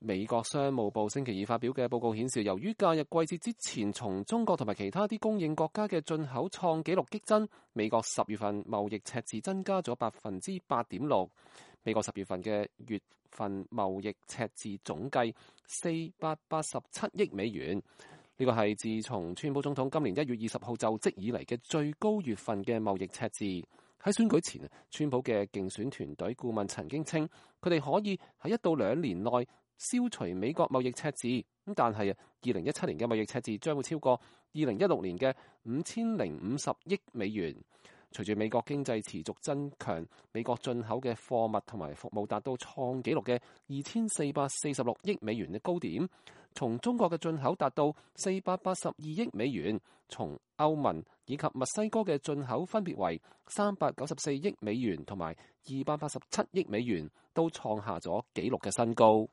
美國商務部星期二發表嘅報告顯示，由於假日季節之前從中國同埋其他啲供應國家嘅進口創紀錄激增，美國10月份貿易赤字增加咗8.6%。美國10月份嘅月份貿易赤字總計487億美元，呢個係自從川普總統今年1月20號就職以嚟嘅最高月份嘅貿易赤字。喺選舉前，川普嘅競選團隊顧問曾經稱，佢哋可以喺1到2年內消除美國貿易赤字。咁但係2017年嘅貿易赤字將會超過2016年嘅5050億美元。隨住美國經濟持續增強，美國進口嘅貨物同埋服務達到創紀錄嘅2446億美元嘅高點，從中國嘅進口達到482億美元，從歐盟以及墨西哥嘅進口分別為394億美元同埋287億美元，都創下咗紀錄嘅新高。